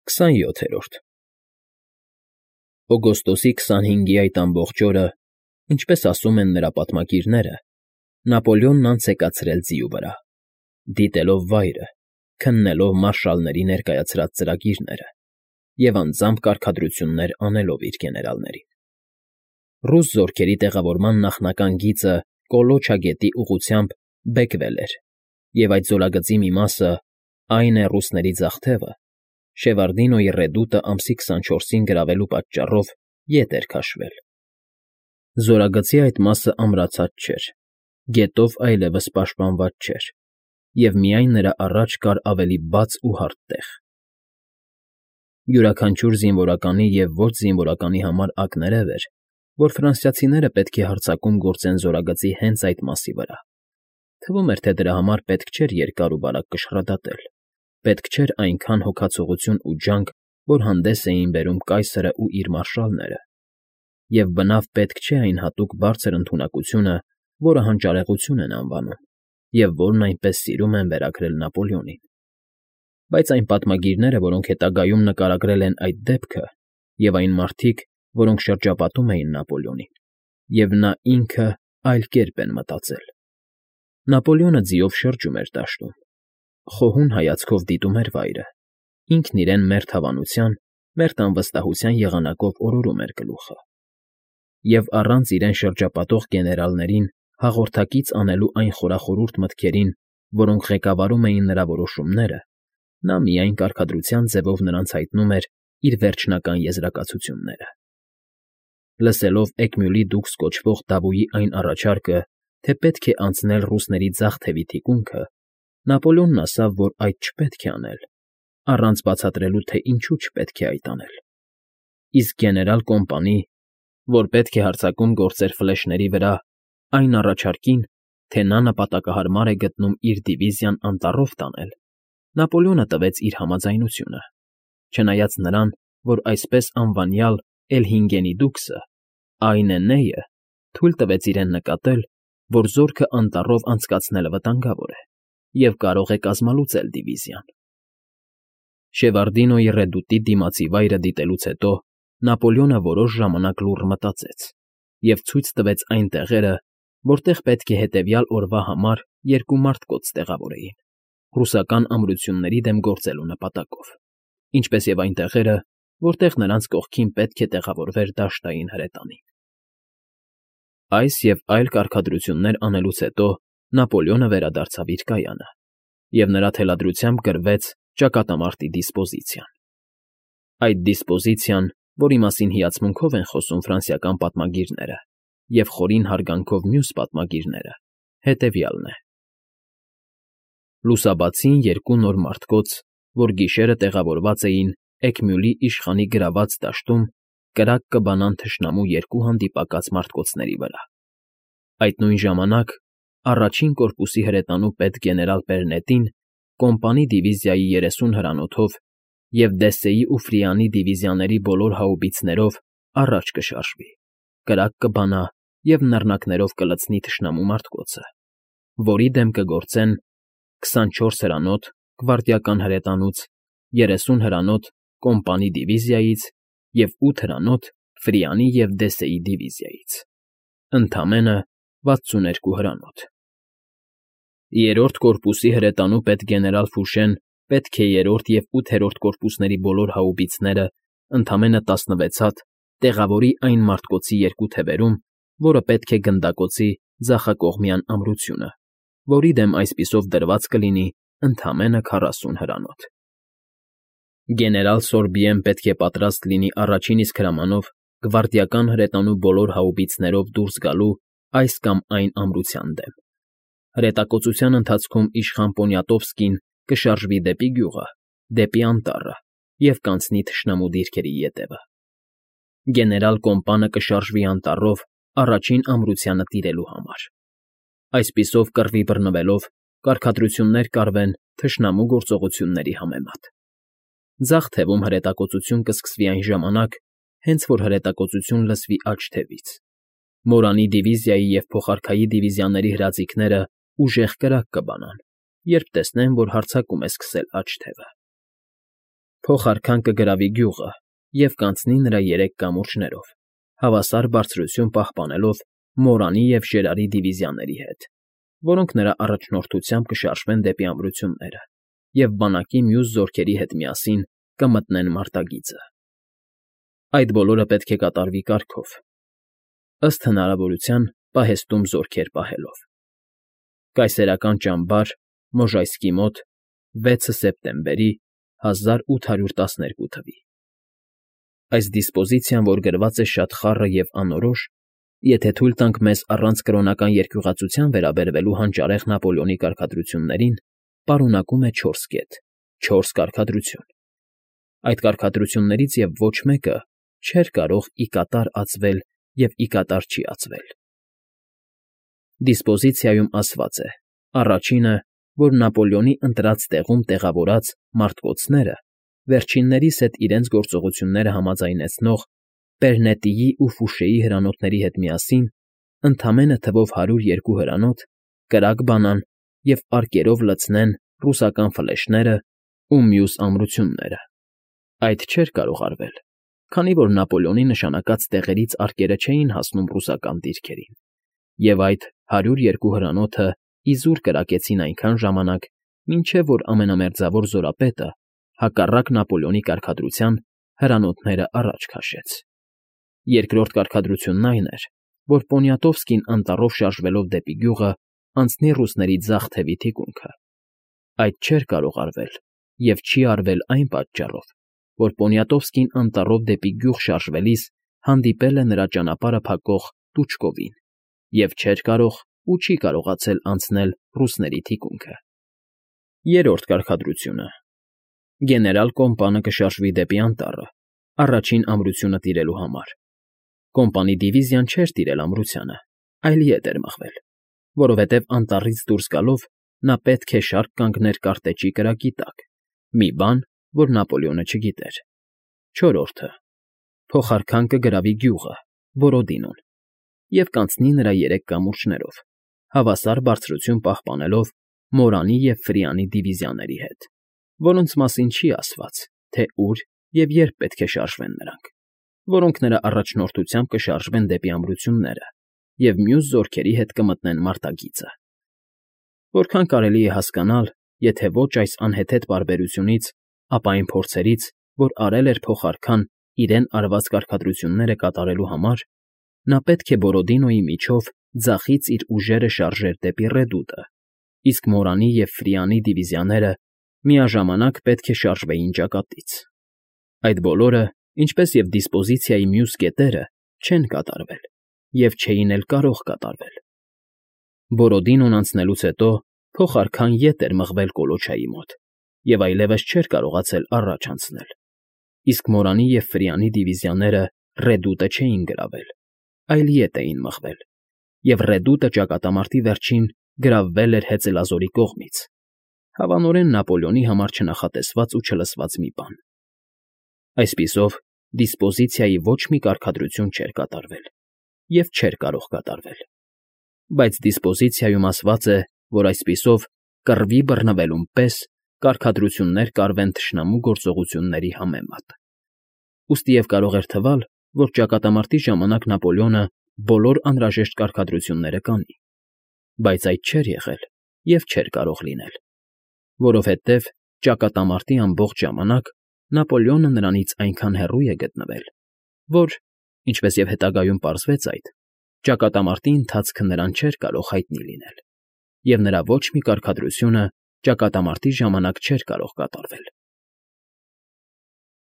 27-րդ Օգոստոսի 25-ի այդ ամբողջ օրը, ինչպես ասում են նրա պատմագիրները, Նապոլեոնն անց է կացրել ձիու վրա, դիտելով վայրը, քննելով մարշալների ներկայացրած ծրագիրները և անձամբ կարգադրություններ անելով իր գեներալներին։ Ռուս զորքերի տեղավորման նախնական գիծը Կոլոչա գետի ուղղությամբ բեկվել էր, և այդ զորագծի մի մասը, այն է ռուսների ձախ թևը, Շևարդինոյի ռեդուտը ամսի 24-ին գրավելու պատճառով ետ էր քաշվել։ Զորագծի այդ մասը ամրացած չէր, գետով այլևս պաշտպանված չէր, և միայն նրա առաջ կար ավելի բաց ու հարթ տեղ։ Յուրաքանչյուր զինվորականի և ոչ զինվորականի համար ակներև էր, որ ֆրանսիացիները պետք է հարձակում գործեն զորագծի հենց այդ մասի վրա։ Թվում էր, թե դրա համար պետք չէր երկար ու բարակ կշռադատել, պետք չէր այնքան հոգացողություն ու ջանք, որ հանդես էին բերում կայսրն ու իր մարշալները, և բնավ պետք չէ այն հատուկ բարձր ընդունակությունը, որը հանճարեղություն են անվանում, և որն այնպես սիրում են վերագրել Նապոլեոնին։ Բայց այն պատմագիրները, որոնք հետագայում նկարագրել են այդ դեպքը, և այն մարդիկ, որոնք շրջապատում էին Նապոլեոնին, և նա ինքը այլ կերպ են մտածել։ Նապոլեոնը ձիով շրջում էր դաշտում, խոհուն հայացքով դիտում էր վայրը, ինքն իրեն մերթ հավանության, մերթ անվստահության եղանակով օրորում էր գլուխը։ Եվ առանց իրեն շրջապատող գեներալներին հաղորդակից անելու այն խորախորհուրդ մտքերին, որոնք ղեկավարում էին նրա որոշումները, նա միայն կարգադրության ձևով նրանց հայտնում էր իր վերջնական եզրակացությունները։ Լսելով Էկմյուլի դուքս կոչվող դավոյի այն առաջարկը, թե պետք է անցնել ռուսների ձախ թևի թիկունքը, Նապոլեոնն ասաց, որ այդ չպետք է անել, առանց բացատրելու, թե ինչու չպետք է այդ անել։ Իսկ գեներալ Կոմպանի, որ պետք է հարձակում գործեր ֆլեշների վրա, այն առաջարկին, թե նա նպատակահարմար է գտնում իր դիվիզիան անտառով տանել, Նապոլեոնը տվեց իր համաձայնությունը, չնայած նրան, որ այսպես անվանյալ Էլհինգենի դուքսը, Այնենեյը, թույլ տվեց իրեն նկատել, որ զորքը անտառով անցկացնելը վտանգավոր է և կարող է կազմալուծել դիվիզիան։ Շևարդինոյի ռեդուտի դիմացի վայրը դիտելուց հետո Նապոլեոնը որոշ ժամանակ լուռ մտածեց և ցույց տվեց այն տեղերը, որտեղ պետք է հետևյալ օրվա համար երկու մարտկոց տեղավորեին, ռուսական ամրությունների դեմ գործելու նպատակով, ինչպես և այն տեղերը, որտեղ նրանց կողքին պետք է տեղավորվեր դաշտային հրետանին։ Այս և այլ կարգադրություններ անելուց հետո Նապոլեոնը վերադարձավ իր կայանը, և նրա թելադրությամբ գրվեց ճակատամարտի դիսպոզիցիան։ Այդ դիսպոզիցիան, որի մասին հիացմունքով են խոսում ֆրանսիական պատմագիրները և խորին հարգանքով մյուս պատմագիրները, հետևյալն է. Լուսաբացին երկու նոր մարտկոց, որ գիշերը տեղավորված էին Էկմյուլի իշխանի գրաված դաշտում, կրակ կբանան թշնամու երկու հանդիպակաց մարտկոցների վրա։ Այդ նույն ժամանակ առաջին կորպուսի հրետանու պետ գեներալ Պերնետին Կոմպանի դիվիզիայի 30 հրանոթով և Դեսեի ու Ֆրիանի դիվիզիաների բոլոր հաուբիցներով առաջ կշարժվի, կրակ կբանա և նռնակներով կլցնի թշնամու մարտկոցը, որի դեմ կգործեն 24 հրանոթ գվարդիական հրետանուց, 30 հրանոթ Կոմպանի դիվիզիայից և 8 հրանոթ Ֆրիանի և Դեսեի դիվիզիայից, ընդամենը 62 հրանոթ։ Երրորդ կորպուսի հրետանու պետ գեներալ Ֆուշեն պետք է երրորդ և 8-րդ կորպուսների բոլոր հաուբիցները, ընդամենը 16 հատ, տեղավորի այն մարտկոցի երկու թևերում, որը պետք է գնդակոծի ձախակողմյան ամրությունը, որի դեմ այսպիսով դրված կլինի ընդամենը 40 հրանոթ։ Գեներալ Սորբիեն պետք է պատրաստ լինի առաջին իսկ հրամանով գվարդիական հրետանու բոլոր հաուբիցներով դուրս գալու այս կամ այն ամրության դեմ։ Հրետակոծության ընթացքում իշխան Պոնյատովսկին կշարժվի դեպի գյուղը, դեպի անտառը և կանցնի թշնամու դիրքերի ետևը։ Գեներալ Կոմպանը կշարժվի անտառով առաջին ամրությանը տիրելու համար։ Այսպիսով կռվի բռնվելով կարգադրություններ կարվեն թշնամու գործողությունների համեմատ։ Ձախ թևում հրետակոծություն կսկսվի այն ժամանակ, հենց որ հրետակոծություն լսվի աջ թևից։ Մորանի դիվիզիայի և փոխարքայի դիվիզիաների հրաձիգները ուժեղ կրակ կբանան, երբ տեսնեն, որ հարձակում է սկսել աջ թևը։ Փոխարքան կգրավի գյուղը և կանցնի նրա 3 կամուրջներով, հավասար բարձրություն պահպանելով Մորանի և Ժերարի դիվիզիաների հետ, որոնք նրա առաջնորդությամբ կշարժվեն դեպի ամրությունները և բանակի մյուս զորքերի հետ միասին կմտնեն մարտագիծը։ Այդ բոլորը պետք է կատարվի կարգով, ըստ հնարավորության պահեստում զորքեր պահելով։ Կայսերական ճամբար, Մոժայսկի մոտ, 6 սեպտեմբերի 1812 թ. Այս դիսպոզիցիան, որ գրված է շատ խառը և անորոշ, եթե թույլ տանք մեզ առանց կրոնական երկյուղածության վերաբերվելու հանճարեղ Նապոլեոնի կարգադրություններին, պարունակում է 4 կետ, 4 կարգադրություն։ Այդ կարգադրություններից և ոչ մեկը չէր կարող ի կատար ածվել և ի կատար չի ածվել։ Դիսպոզիցիայում ասված է. առաջինը, որ Նապոլեոնի ընտրած տեղում տեղավորած մարտկոցները վերջիններիս հետ իրենց գործողությունները համաձայնեցնող Պերնետիի ու Ֆուշեի հրանոթների հետ միասին ընդամենը թվով 102 հրանոթ կրակ բանան և արկերով լցնեն ռուսական ֆլեշներն ու մյուս ամրությունները։ Այդ չէր կարող արվել, քանի որ Նապոլեոնի նշանակած տեղերից արկերը չէին հասնում ռուսական դիրքերին, և այդ 102 հրանոթը իզուր կրակեցին այնքան ժամանակ, մինչև որ ամենամերձավոր զորապետը, հակառակ Նապոլեոնի կարգադրության, հրանոթները առաջ քաշեց։ Երկրորդ կարգադրությունն այն էր, որ Պոնիատովսկին անտառով շարժվելով դեպի գյուղը անցնի ռուսների ձախ թևի թիկունքը։ Այդ չէր կարող արվել և չի արվել այն պատճառով, որ Պոնիատովսկին անտառով դեպի գյուղ շարժվելիս հանդիպել է նրա ճանապարհը փակող Տուչկովին և չէր կարող ու չի կարողացել անցնել ռուսների թիկունքը։ Երրորդ կարգադրությունը. գեներալ Կոմպանը կշարժվի դեպի անտառը, առաջին ամրությունը տիրելու համար։ Կոմպանի դիվիզիան չէր տիրել ամրությանը, այլ ետ էր մղվել, որովհետև անտառից դուրս գալով նա պետք է շարք կանգներ կարտեճի կրակի տակ, մի բան, որ Նապոլեոնը չգիտեր։ Չորրորդը. փոխարքան կգրավի գյուղը, Բորոդինոն, և կանցնի նրա 3 կամուրջներով, հավասար բարձրություն պահպանելով Մորանի և Ֆրիանի դիվիզիաների հետ, որոնց մասին չի ասված, թե ուր և երբ պետք է շարժվեն նրանք, որոնք նրա առաջնորդությամբ կշարժվեն դեպի ամրությունները և մյուս զորքերի հետ կմտնեն մարտագիծը։ Որքան կարելի է հասկանալ, եթե ոչ այս անհեթեթ պարբերությունից, ապա այն փորձերից, որ արել էր փոխարքան իրեն արված կարգադրությունները կատարելու համար, նա պետք է Բորոդինոյի միջով ձախից իր ուժերը շարժեր դեպի Ռեդուտը, իսկ Մորանի և Ֆրիանի դիվիզիաները միաժամանակ պետք է շարժվեին ճակատից։ Այդ բոլորը, ինչպես և դիսպոզիցիայի մյուս կետերը, չեն կատարվել և չէին էլ կարող կատարվել։ Բորոդինոն անցնելուց հետո փոխարքան ետ էր մղվել Կոլոչայի մոտ և այլևս չէր կարողացել առաջ անցնել, իսկ Մորանի և Ֆրիանի դիվիզիաները Ռեդուտը չէին գրավել, այլ ետ էին մղվել, և Ռեդուտը ճակատամարտի վերջին գրավվել էր հեծելազորի կողմից, հավանորեն Նապոլեոնի համար չնախատեսված ու չլսված մի բան։ Այսպիսով, դիսպոզիցիայի ոչ մի կարգադրություն չէր կատարվել և չէր կարող կատարվել, բայց դիսպոզիցիայում ասված է, որ այսպիսով կռվի բռնվելուն պես կարգադրություններ կարվեն թշնամու գործողությունների համեմատ։ Ուստի և կարող էր թվալ, որ ճակատամարտի ժամանակ Նապոլեոնը բոլոր անհրաժեշտ կարգադրությունները կանի, բայց այդ չէր եղել և չէր կարող լինել, որովհետև ճակատամարտի ամբողջ ժամանակ Նապոլեոնը նրանից այնքան հեռու է գտնվել, որ, ինչպես և հետագայում պարզվեց այդ, ճակատամարտի ընթացքը նրան չէր կարող հայտնի լինել, և նրա ոչ մի կարգադրությունը ճակատամարտի ժամանակ չէր կարող կատարվել։